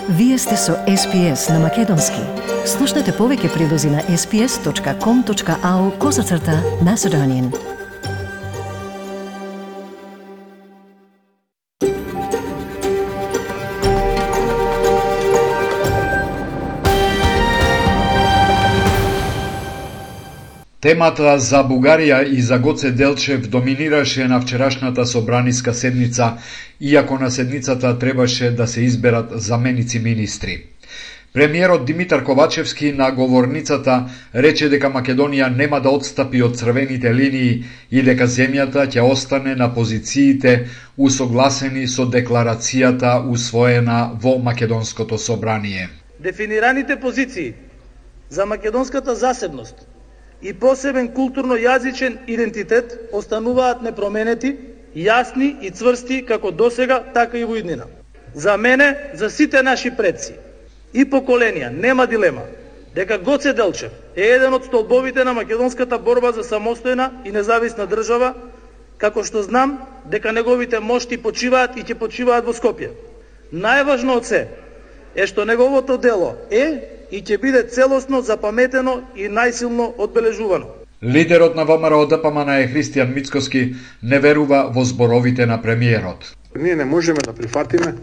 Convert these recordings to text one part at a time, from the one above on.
Вие сте со SPS на Македонски. Слушнете повеќе прилози на sps.com.au/Macedonian. Темата за Бугарија и за Гоце Делчев доминираше на вчерашната собраниска седница, иако на седницата требаше да се изберат заменици министри. Премиерот Димитар Ковачевски на говорницата рече дека Македонија нема да отстапи од црвените линии и дека земјата ќе остане на позициите усогласени со декларацијата усвоена во Македонското собрание. Дефинираните позиции за македонската засебност и посебен културно-јазичен идентитет остануваат непроменети, јасни и цврсти како досега, така и во иднина. За мене, за сите наши предци и поколенија, нема дилема дека Гоце Делчев е еден од столбовите на македонската борба за самостојна и независна држава, како што знам дека неговите мошти почиваат и ќе почиваат во Скопје. Најважно од се е што неговото дело е и ќе биде целосно запаметено и најсилно одбележувано. Лидерот на ВМРО ДПМН Христијан Мицкоски не верува во зборовите на премиерот. Ние не можеме да прифатиме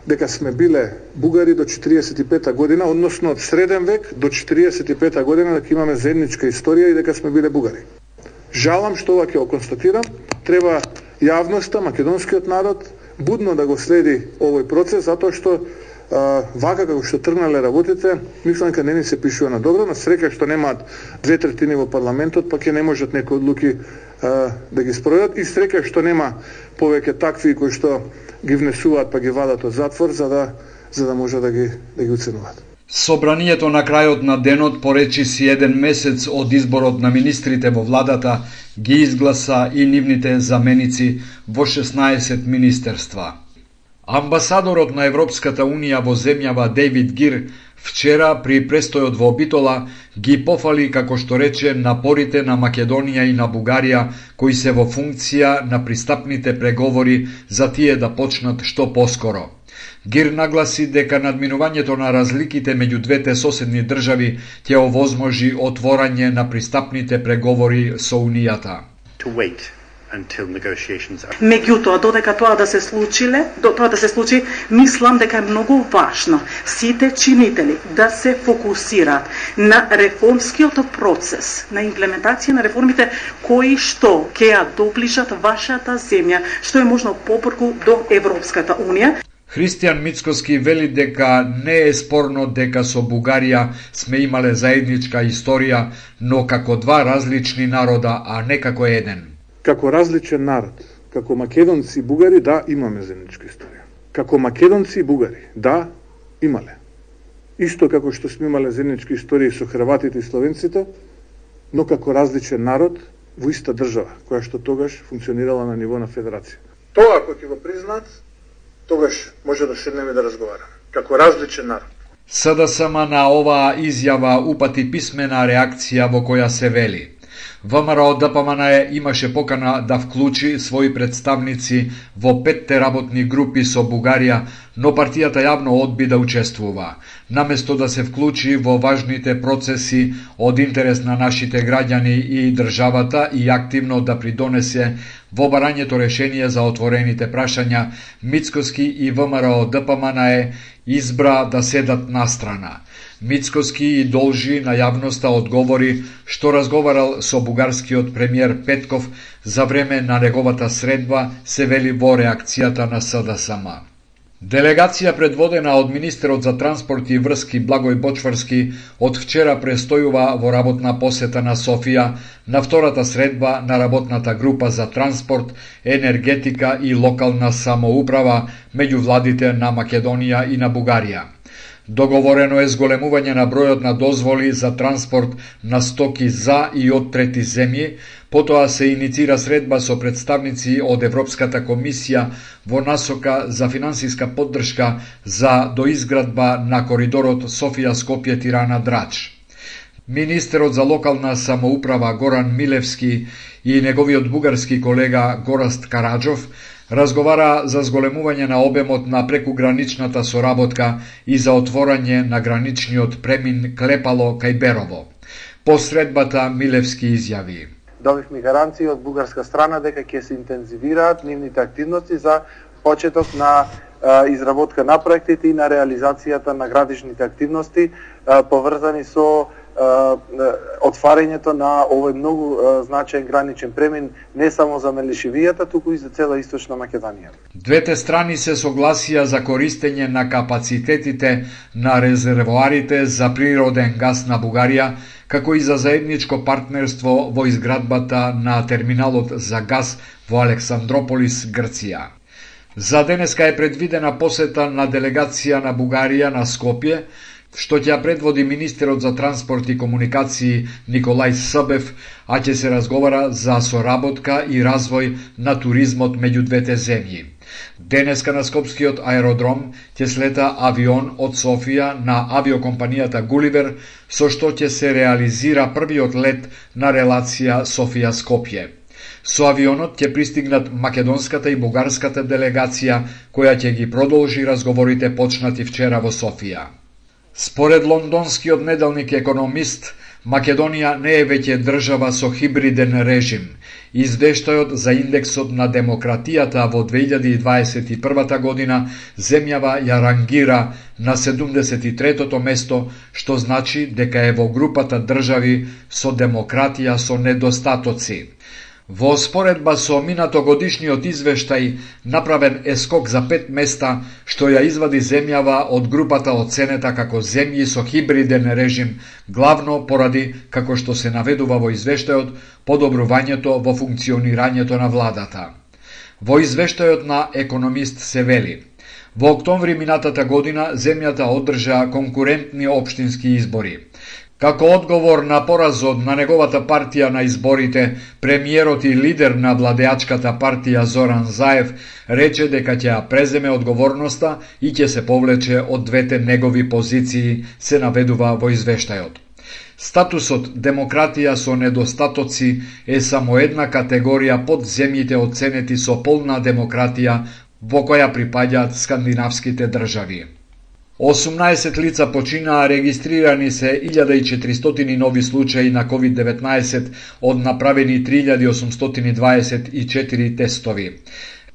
дека сме биле бугари до 45-та година, односно од среден век до 45-та година, дека имаме заедничка историја и дека сме биле бугари. Жалам што ова ќе го констатирам. Треба јавноста, македонскиот народ будно да го следи овој процес, затоа што вака како што тргнале работите, мислам дека не ни се пишува на добро, на среќа што немаат 2/3 во парламентот, па ќе не можат некои одлуки да ги спроведат, и среќа што нема повеќе такви кои што ги внесуваат па ги вадат од затвор за да може да ги уценуваат. Собранието на крајот на денот поречи си еден месец од изборот на министрите во владата, ги изгласа и нивните заменици во 16 министерства. Амбасадорот на Европската Унија во земјава Дейвид Гир вчера при престојот во Битола ги пофали, како што рече, напорите на Македонија и на Бугарија кои се во функција на пристапните преговори за тие да почнат што поскоро. Гир нагласи дека надминувањето на разликите меѓу двете соседни држави ќе овозможи отворање на пристапните преговори со Унијата. Меѓутоа, додека тоа да се случи, мислам дека е многу важно сите чинители да се фокусираат на реформскиот процес, на имплементација на реформите кои што ќе ја доближат вашата земја, што е можно побрзо до Европската Унија. Христијан Мицкоски вели дека не е спорно дека со Бугарија сме имале заедничка историја, но како два различни народа, а не како еден. Како различен народ, како македонци и бугари, да, имаме заедничка историја. Како македонци и бугари, да, имале. Исто како што сме имале заеднички истории со хрватите и словенците, но како различен народ во иста држава, која што тогаш функционирала на ниво на федерација. Тоа, ако ќе го признаат, тогаш може да седнеме да разговараме. Како различен народ. СДСМ на оваа изјава упати писмена реакција во која се вели: ВМРО ДПМН имаше покана да вклучи своји представници во 5 работни групи со Бугарија, но партијата јавно одби да учествува. Наместо да се вклучи во важните процеси од интерес на нашите граѓани и државата и активно да придонесе во барањето решение за отворените прашања, Мицкоски и ВМРО ДПМН избра да седат настрана. Мицкоски и должи на јавноста одговори што разговарал со бугарскиот премиер Петков за време на неговата средба, се вели во реакцијата на СДСМ. Делегација предводена од министерот за транспорт и врски Благој Бочварски од вчера престојува во работна посета на Софија на втората средба на работната група за транспорт, енергетика и локална самоуправа меѓу владите на Македонија и на Бугарија. Договорено е зголемување на бројот на дозволи за транспорт на стоки за и од трети земји, потоа се иницира средба со представници од Европската комисија во насока за финансиска поддршка за доизградба на коридорот Софија-Скопје-Тирана-Драч. Министерот за локална самоуправа Горан Милевски и неговиот бугарски колега Гораст Караджов Разговара за зголемување на обемот на прекуграничната соработка и за отворање на граничниот премин Клепало кај Берово. По средбата Милевски изјави: Добивме гаранции од бугарска страна дека ќе се интензивираат нивните активности за почеток на изработка на проектите и на реализацијата на градичните активности поврзани со отварањето на овој многу значаен граничен премин не само за Мелишевијата, туку и за цела Источна Македонија. Двете страни се согласија за користење на капацитетите на резервоарите за природен газ на Бугарија, како и за заедничко партнерство во изградбата на терминалот за газ во Александрополис, Грција. За денеска е предвидена посета на делегација на Бугарија на Скопје, што ќе предводи министерот за транспорт и комуникации Николај Събев, а ќе се разговара за соработка и развој на туризмот меѓу двете земји. Денеска на Скопскиот аеродром ќе слета авион од Софија на авиокомпанијата Гуливер, со што ќе се реализира првиот лет на релација Софија-Скопје. Со авионот ќе пристигнат македонската и бугарската делегација, која ќе ги продолжи разговорите почнати вчера во Софија. Според лондонскиот неделник Економист, Македонија не е веќе држава со хибриден режим. Извештајот за индексот на демократијата во 2021 година земјава ја рангира на 73-тото место, што значи дека е во групата држави со демократија со недостатоци. Во споредба со минатогодишниот извештај, направен е скок за 5 места, што ја извади земјава од групата оценета како земји со хибриден режим, главно поради, како што се наведува во извештајот, подобрувањето во функционирањето на владата. Во извештајот на Економист се вели: во октомври минатата година земјата одржа конкурентни општински избори. Како одговор на поразот на неговата партија на изборите, премиерот и лидер на владеачката партија Зоран Заев рече дека ќе ја преземе одговорноста и ќе се повлече од двете негови позиции, се наведува во извештајот. Статусот демократија со недостатоци е само една категорија под земјите оценети со полна демократија, во која припаѓаат скандинавските држави. 18 лица починаа, регистрирани се 1400 нови случаи на COVID-19 од направени 3824 тестови.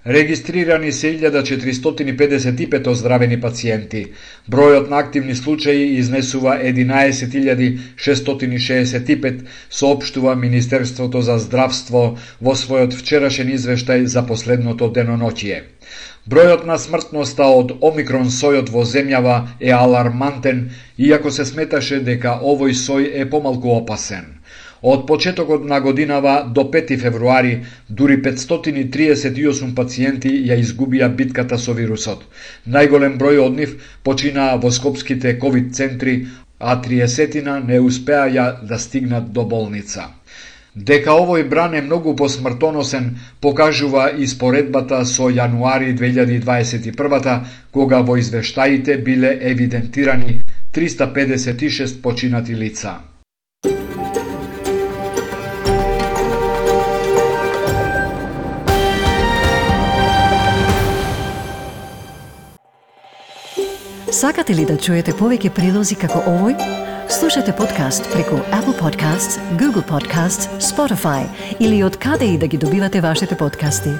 Регистрирани се 1455 оздравени пациенти. Бројот на активни случаи изнесува 11665, соопштува Министерството за здравство во својот вчерашен извештај за последното деноноќие. Бројот на смртноста од омикрон сојот во земјава е алармантен, иако се сметаше дека овој сој е помалку опасен. Од почетокот на годинава до 5 февруари, дури 538 пациенти ја изгубија битката со вирусот. Најголем број од нив починаа во скопските ковид центри, а 30 не успеаја да стигнат до болница. Дека овој бран е многу посмртоносен, покажува и споредбата со јануари 2021, кога во извештаите биле евидентирани 356 починати лица. Сакате ли да чуете повеќе прилози како овој? Слушате подкаст преку Apple Podcasts, Google Podcasts, Spotify или од каде и да ги добивате вашите подкасти.